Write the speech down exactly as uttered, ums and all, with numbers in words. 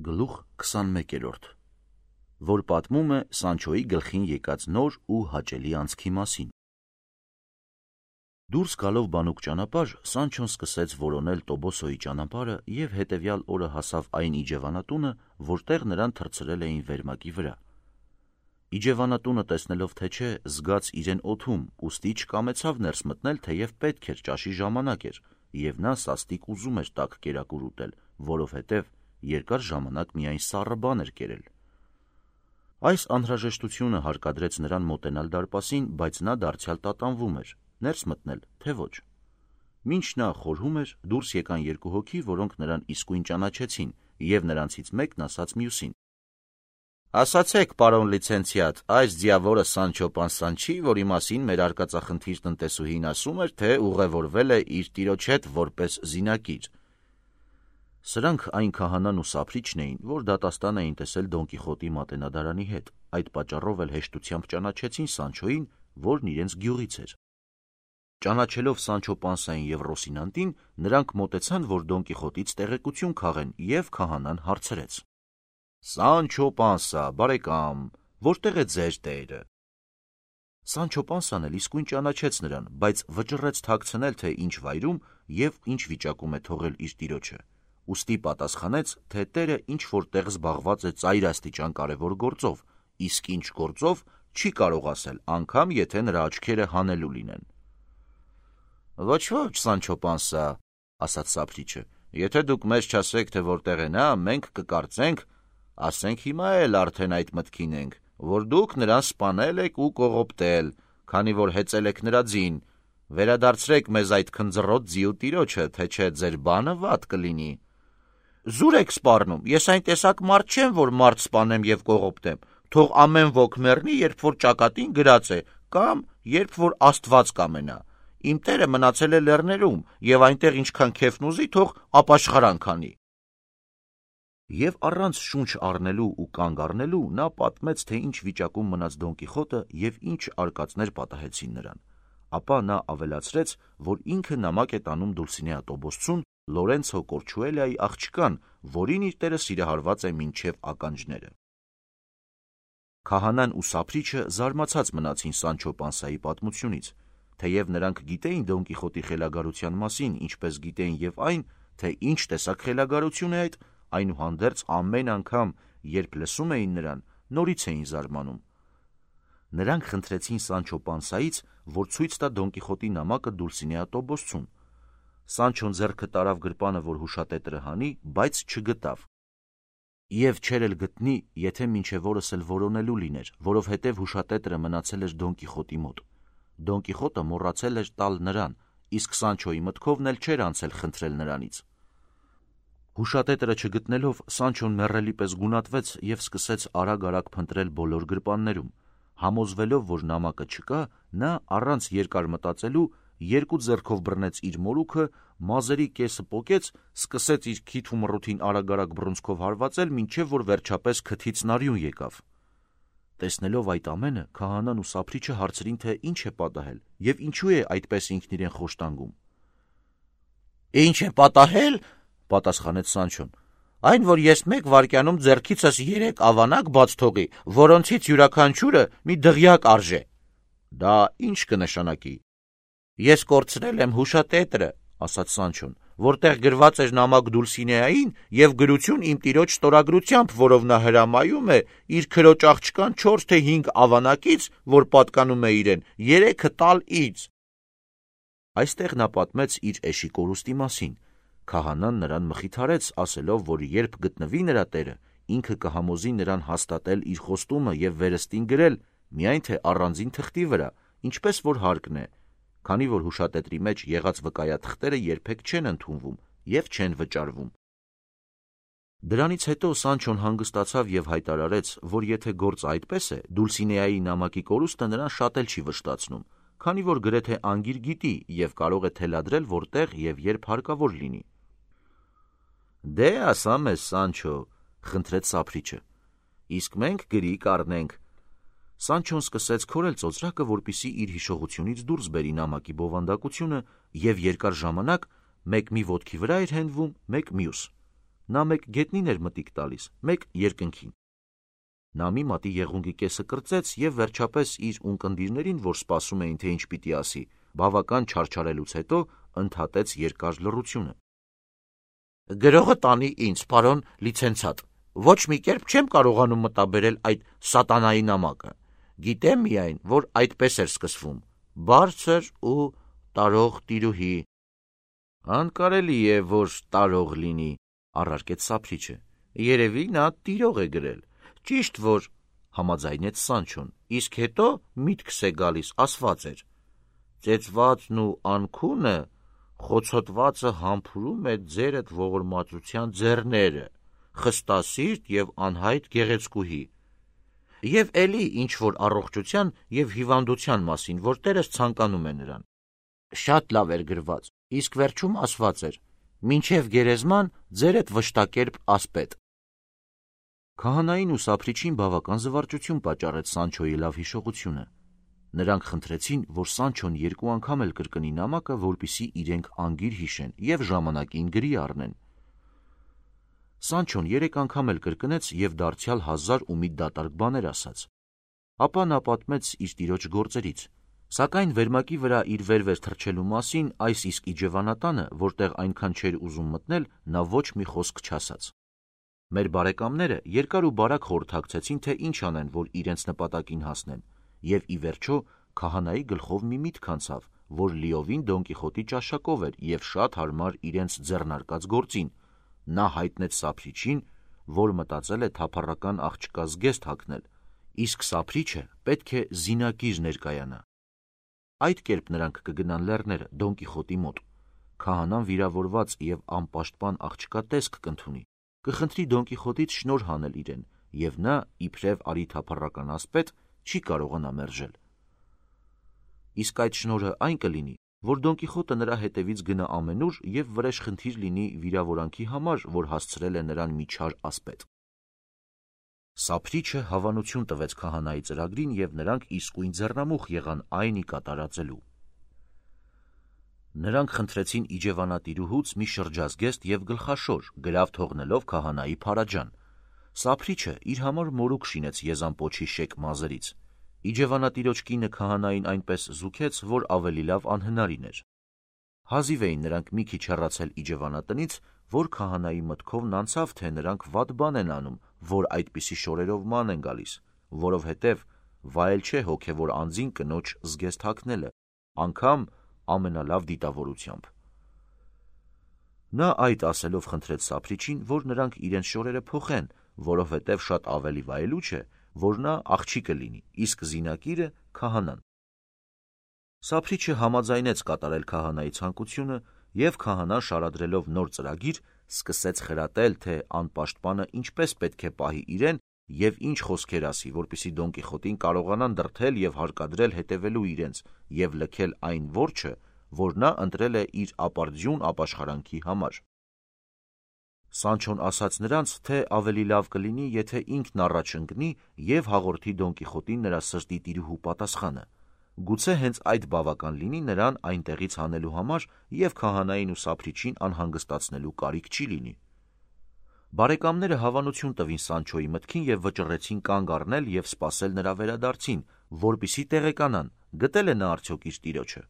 Գլուխ քսանմեկերորդ, որ պատմում է Սանչոյի գլխին եկած նոր ու հաճելի անցքի մասին։ Դուրս գալով բանուկ ճանապարհ, Սանչոն սկսեց որոնել Տոբոսոյի ճանապարհը և հետևյալ օրը հասավ այն իջևանատունը, որտեղ նրան թռցրել էին վերմակի վրա։ Իջևանատունը տեսնելով թե չէ, զգաց իրեն օդում, ուստի չկամեցավ ներս մտնել, թեև պետք էր, ճաշի ժամանակ էր, և նա սաստիկ ուզում էր տաք կերակուր ուտել, որովհետև երկար ժամանակ միայն սառը բան էր կերել։ Այս անհրաժեշտությունը հարկադրեց նրան մոտենալ դարպասին, բայց նա դարձյալ տատանվում էր, ներս մտնել, թե ոչ։ Մինչ նա խորհում էր, դուրս եկան երկու հոգի, որոնք նրան իսկույն ճանաչեցին, և նրանցից մեկն ասաց մյուսին. «Ասացեք, պարոն լիցենցիատ, այս ձիավորը Սանչո Պանսան չի, որի մասին մեր արկածախնդիր տնտեսուհին ասում էր, թե ուղևորվել է իր տիրոջ հետ որպես զինակիր»։ Սրանք այն քահանան ու սափրիչն էին, որ դատաստան էին տեսել Դոն Կիխոտի մատենադարանի հետ, այդ պատճառով էլ հեշտությամբ ճանաչեցին Սանչոյին, որն իրենց գյուղից էր։ Ճանաչելով Սանչո Պանսային և Ռոսինանտին, նրանք մոտեցան, որ Դոն Կիխոտից տեղեկություն քաղեն, և քահանան հարցրեց. «Սանչո Պանսա, բարեկամ, որտեղ է ձեր տերը»։ Սանչո Պանսան էլ իսկույն ճանաչեց նրան, բայց վճռեց թաքցնել, թե ինչ վայրում և ինչ վիճակում է թողել իր տիրոջը, ուստի պատասխանեց, թե տերը ինչ-որ տեղ զբաղված է ծայրաստիճան կարևոր գործով, իսկ ինչ գործով չի կարող ասել, անգամ եթե նրա աչքերը հանելու լինեն։ «Ոչ, ոչ, Սանչո Պանսա, ասաց սափրիչը, եթե դուք մեզ չասեք, թե որտեղ է նա, մենք կկարծենք, ասենք հիմա էլ արդեն այդ մտքին ենք, որ դուք նրան սպանել եք ու կողոպտել, քանի որ հեծել եք նրա ձին, վերադարձրեք մեզ այդ քնձռոտ ձիու տիրոջը, թե չէ ձեր բանը վատ կլինի»։ «Զուր եք սպառնում, ես այն տեսակ մարդ չեմ, որ մարդ սպանեմ և կողոպտեմ, թող ամեն ոք մեռնի, երբ որ ճակատին գրած է, կամ երբ որ Աստված կամենա, իմ տերը մնացել է լեռներում, և այնտեղ ինչքան քեֆն ուզի, թող ապաշխարանք անի»։ Եվ առանց շունչ առնելու ու կանգ առնելու նա պատմեց, թե ինչ վիճակում մնաց Դոն Կիխոտը և ինչ արկածներ պատահեցին նրան, ապա նա ավելացրեց, որ ինքը նամակ է տանում Դուլսինեա Տոբոսցուն Լորենցո Կորչուելիայի աղջկան, որին իր տերը սիրահարված է մինչև ականջները։ Քահանան ու սափրիչը զարմացած մնացին Սանչո Պանսայի պատմությունից, թեև նրանք գիտեին Դոն Կիխոտի խելագարության մասին, ինչպես գիտեին և այն, թե ինչ տեսակ խելագարություն է այդ, այնուհանդերձ ամեն անգամ, երբ լսում էին նրան, նորից էին զարմանում։ Նրանք խնդրեցին Սանչո Պանսայից, որ ցույց տա Դոն Կիխոտի նամակը Դուլսինեա Տոբոսցուն։ Սանչոն ձեռքը տարավ գրպանը, որ հուշատետրը հանի, բայց չգտավ։ Եվ չէր էլ գտնի, եթե մինչև օրս էլ որոնելու լիներ, որովհետև հուշատետրը մնացել էր Դոն Կիխոտի մոտ։ Դոն Կիխոտը մոռացել էր տալ նրան, իսկ Սանչոյի մտքովն էլ չէր անցել խնդրել նրանից։ Հուշատետրը չգտնելով, Սանչոն մեռելի պես գունատվեց և սկսեց արագ-արագ փնտրել բոլոր գրպաններում։ Համոզվելով, որ նամակը չկա, նա առանց երկար մտածելու երկու ձեռքով բռնեց իր մորուքը, մազերի կեսը պոկեց, սկսեց իր քիթ ու մռութին արագ-արագ բռունցքով հարվածել, մինչև որ վերջապես քթից նարյուն եկավ։ Տեսնելով այդ ամենը, քահանան ու սափրիչը հարցրին, թե ինչ է պատահել և ինչու է այդպես ինքն իրեն խոշտանգում։ «Ինչ է պատահել», պատասխանեց Սանչոն, «այն, որ ես մեկ վայրկյանում ձեռքիցս երեք ավանակ բաց թողի, որոնցից յուրաքանչյուրը մի դղյակ արժե»։ «Դա ի՞նչ կնշանակի»։ «Ես կորցրել եմ հուշատետրը», ասաց Սանչոն, որտեղ գրված էր նամակ Դուլսինեային և գրություն իմ տիրոջ ստորագրությամբ, որով նա հրամայում է իր քրոջ աղջկան չորս թե հինգ ավանակից, որ պատկանում է իրեն, երեքը տալ ինձ։ Այստեղ նա պատմեց իր էշի կորուստի մասին։ Քահանան նրան մխիթարեց, ասելով, որ երբ գտնվի նրա տերը, ինքը կհամոզի նրան հաստատել իր խոստումը և վերստին գրել, միայն թե առանձին թղթի վրա, ինչպես որ հարկն է, քանի որ հուշատետրի մեջ եղած վկայաթղթերը երբեք չեն ընդունվում և չեն վճարվում։ Դրանից հետո Սանչոն հանգստացավ և հայտարարեց, որ եթե գործը այդպես է, Դուլսինեայի նամակի կորուստը նրան շատ էլ չի վշտացնում, քանի որ գրեթե անգիր գիտի և կարող է թելադրել որտեղ և երբ հարկավոր լինի։ «Դե ասա մեզ, Սանչո», խնդրեց սափրիչը, «իսկ մենք գրի կառնենք»։ Սանչոն սկսեց քորել ծոծրակը, որպեսզի իր հիշողությունից դուրս բերի նամակի բովանդակությունը, և երկար ժամանակ մեկ մի ոտքի վրա էր հենվում, մեկ մյուս։ նա մեկ գետնին էր մտիկ տալիս, մեկ երկնքին։ Նա մի մատի եղունգի կեսը կրծեց և վերջապես իր ունկնդիրներին, որ սպասում էին, թե ինչ պիտի ասի, բավական չարչարելուց հետո ընդհատեց երկար լռությունը. «Գրողը տանի ինձ, պարոն լիցենցիատ, ոչ մի կերպ չեմ կարողանում մտաբերել այդ սատանայի նամակը, գիտեմ միայն, որ այդպես էր սկսվում, բարձր ու տարող տիրուհի»։ «Անկարելի է, որ տարող լինի», առարկեց Սափրիչը, «երևի նա տիրող է գրել, ճիշտ որ», համաձայնեց Սանչոն, «իսկ հետո միտքս է գալիս, ասված էր. ծեծվածն ու անքունը, խոցոտվածը համբուրում է ձերդ ողորմածության ձեռները, խստասիրտ և անհայտ գեղեցկուհի, և էլի ինչ-որ առողջության և հիվանդության մասին, որ տերս ցանկանում է նրան։ Շատ լավ էր գրված, իսկ վերջում ասված էր. մինչև գերեզման ձերդ վշտակերպ ասպետ»։ Քահանային ու Սափրիչին բավական զվարճություն պատճառեց Սանչոյի լավ հիշողությունը։ Նրանք խնդրեցին, որ Սանչոն երկու անգամ էլ կրկնի նամակը, որպեսզի իրենք անգիր հիշեն և ժամանակին գրի առնեն։ Սանչոն երեք անգամ էլ կրկնեց և դարձյալ հազար ու մի դատարկ բաներ ասաց։ Ապա նա պատմեց իր տիրոջ գործերից, սակայն վերմակի վրա իր վեր-վեր թռչելու մասին այս իսկ իջևանատանը, որտեղ այնքան չէր ուզում մտնել, նա ոչ մի խոսք չասաց։ Մեր բարեկամները երկար ու բարակ խորհրդակցեցին, թե ինչ անեն, որ իրենց նպատակին հասնեն, և ի վերջո քահանայի գլխով մի միտք անցավ, որ լիովին Դոն Կիխոտի ճաշակով էր և շատ հարմար իրենց ձեռնարկած գործին։ Նա հայտնեց Սափրիչին, որ մտածել է թափառական աղջկա զգեստ հագնել, իսկ Սափրիչը պետք է զինակիր ներկայանա։ Այդ կերպ նրանք կգնան լեռները Դոն Կիխոտի մոտ։ Քահանան վիրավորված և անպաշտպան աղջկա տեսք կընդունի, կխնդրի Դոն Կիխոտից շնորհ հանել իրեն, և նա, իբրև արի թափառական ասպետ, չի կարողանա մերժել։ Իսկ այդ շնորհը այն կլինի, որ Դոն Կիխոտը նրա հետևից գնա ամենուր և վրեժխնդիր լինի վիրավորանքի համար, որ հասցրել է նրան մի չար ասպետ։ Սափրիչը հավանություն տվեց քահանայի ծրագրին, և նրանք իսկույն ձեռնամուխ եղան այն ի կատարածելու։ Նրանք խնդրեցին իջևանատիրուհուց մի շրջազգեստ և գլխաշոր, գրավ թողնելով քահանայի փարաջան։ Սափրիչը իր համար մորուք շինեց Եզան պոչի շեկ մազերից։ Իջևանատիրոջ կինը քահանային այնպես զուգեց, որ ավելի լավ անհնարին էր։ Հազիվ էին նրանք մի քիչ հեռացել իջևանատնից, որ քահանայի մտքովն անցավ, թե նրանք վատ բան են անում, որ այդպիսի շորերով ման են գալիս, որովհետև վայել չէ հոգևոր անձին կնոջ զգեստ հագնելը, անգամ ամենալավ դիտավորությամբ։ Նա այդ ասելով խնդրեց Սափրիչին, որ նրանք իրենց շորերը փոխեն, որովհետև շատ ավելի վայելուչ է, որ նա աղջիկը լինի, իսկ զինակիրը քահանան։ Սափրիչը համաձայնեց կատարել քահանայի ցանկությունը, և քահանան շարադրելով նոր ծրագիր, սկսեց խրատել, թե անպաշտպանը ինչպես պետք է պահի իրեն և ինչ խոսքեր ասի, որպեսզի Դոն Կիխոտին կարողանան դրդել և հարկադրել հետևելու իրենց և լքել այն որջը, որ նա ընտրել է իր ապարդյուն ապաշխարանքի համար։ Սանչոն ասաց նրանց, թե ավելի լավ կլինի, եթե ինքն առաջ ընկնի և հաղորդի Դոն Կիխոտին նրա սրտի տիրուհու պատասխանը։ Գուցե հենց այդ բավական լինի նրան այնտեղից հանելու համար և քահանային ու Սափրիչին անհանգստացնելու կարիք չի լինի։ Բարեկամները հավանություն տվին Սանչոյի մտքին և վճռեցին կանգ առնել և սպասել նրա վերադարձին, որպեսզի տեղեկանան՝ գտել է նա արդյոք իր տիրոջը։